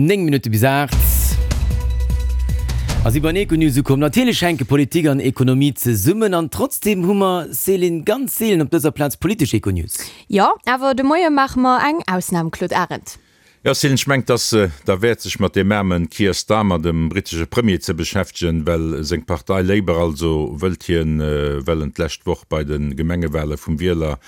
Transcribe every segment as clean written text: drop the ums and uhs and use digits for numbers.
9 Minutte bis 8. A si bei den Econews ukomm. Natierlech hänke Politik an Ekonomie zesummen an trotzdeem hu mer, Céline, ganz seelen op dëser Plaz politesch Econews. Jo, awer de Moie maache mer eng Ausnam, Claude Arend. Jo, Céline, ech mengt, dass derwäert sech mat deem aarmen Keir Starmer, dem brittesche Premier, ze beschäftegen, well seng Partei Labour, also wëllt hien, well en d'lescht Woch bei de Gemengewale vum Wieler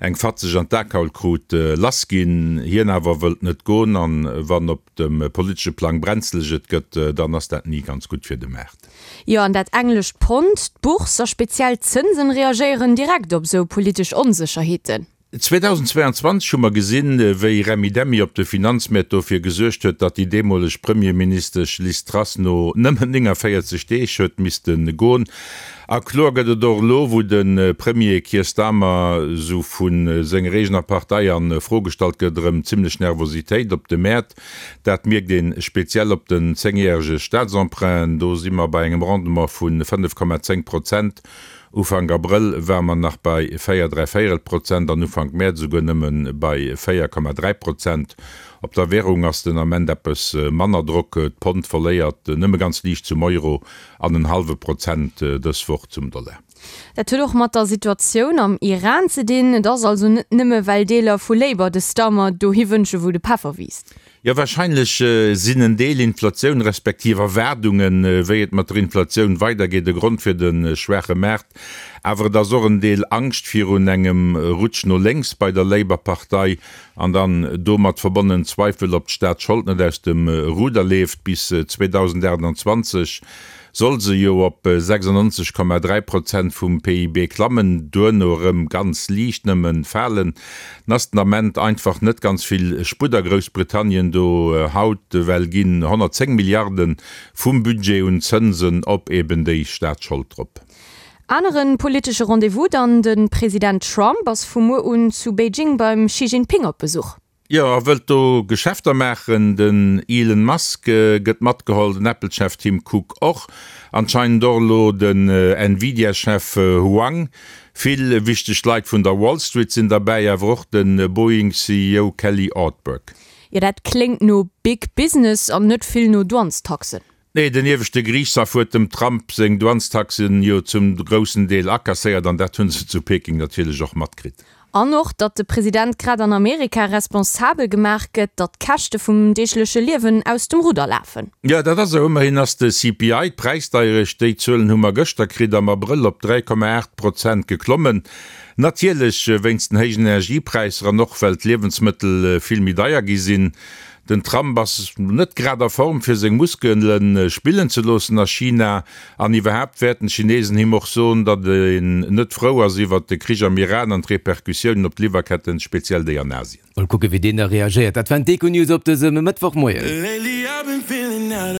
eng fatzeg an d'Akaul krut, lass ginn. Hien awer wëllt net goen, an wann op dem politesche Plang brenzeleg et gëtt, dann ass dat ni ganz gutt fir de Maart. Jo, an dat englescht Pond, d'Bourse a speziell d'Zënsen reagéieren direkt op esou politesch Onsécherheeten. 2022 hu mer gesinn, wéi Remmidemmi op de Finanzmäert dofir gesuergt huet, datt déi deemoleg Premierministesch Liz Truss no nëmmen 49 Deeg huet misste goen. A kloer gëtt et och elo, wou de Premier Keir Starmer esou vu senger eegener Partei a Fro gestallt gëtt, erëm zimmlech Nervositéit op de Mäert. Dat mierkt ee speziell op den zéngjärege Staatsemprunten. Do si mer bei engem Rendement vu 5,10 Prozent. Ufank Abrëll ware mer nach bei 4 dräivéierel Prozent an Ufank Mäerz esouguer nëmme bei 4,3 Prozent. Op der Währung ass den Ament eppes manner Drock, d'Pond verléiert nëmme ganz liicht zum Euro an en hallwe Prozent dës Woch zum Dollar. Dat huet och mat der Situatioun am Iran ze dinn. Et ass also net nëmme well Deeler vu Labour de Starmer dohi wënsche wou de Peffer wiisst. Jo, wahrscheinlech sinn en Deel Inflatioun respektiv Erwaardungen, wéi et mat der Inflatioun weidergeet, e Grond fir de schwaache Maart. Awer et ass och en Deel Angscht virun engem Rutsch no lénks bei der Labour-Partei an dann domat verbonnen Zweifel, ob d'Staatsschold net aus dem Ruder leeft. Bis 2028 soll se jo op 96,3 Prozent vum PIB klammen, duerno erëm ganz liicht nëmme falen. 't ass den Ament einfach net ganz vill Sputt a Groussbritannien do. Haut well ginn 110 Milliarde vum Budget un Zënsen op eben déi Staatsschold drop. Anere politesche Rendez-vous dann, De President Trump ass vu muer un zu Beijing beim Xi Jinping op Besuch. Jo, a wëllt do Geschäfter maachen. Den Elon Musk gëtt matgeholl, den Apple-Chef Tim Cook och, anscheinend och elo den Nvidia-Chef Huang. Vill wichteg Leit vun der Wall Street sinn derbäi, awer och de Boeing-CEO Kelly Ortberg. Jo, dat kléngt no Big Business an net vill no Douanestaxen. Nee, den ieweschte Geriichtshaff huet dem Trump seng Douanestaxen jo zum groussen Deel akasséiert an dat hu se zu Peking natierlech och matkritt. An och, datt de President grad an Amerika responsabel gemaach gëtt, datt d'Käschte vum deegleche Liewen aus dem Rudder lafen. Jo, dat ass esou. Ëmmerhin ass de CPI, d'Präisdeierecht, déi Zuelen hu mer gëschter kritt, am Abrëll op 3,8 Prozent geklommen. Natierlech wéinst den héijen Energiepräisser an och well d'Liewensmëttel vill méi deier gi sinn. Den Trump ass net grad a Form fir seng Muskele spillen ze loossen a China. An iwwerhaapt wäerten d'Chinesen him och soen, datt een net frou ass iwwert de Krich am Iran an d'Repercussiounen op d'Liwwerketten, speziell déi an Asien. Mol kucke wéi deen da reagéiert. Dat waren d'Econews op dësem Mëttwochmoien.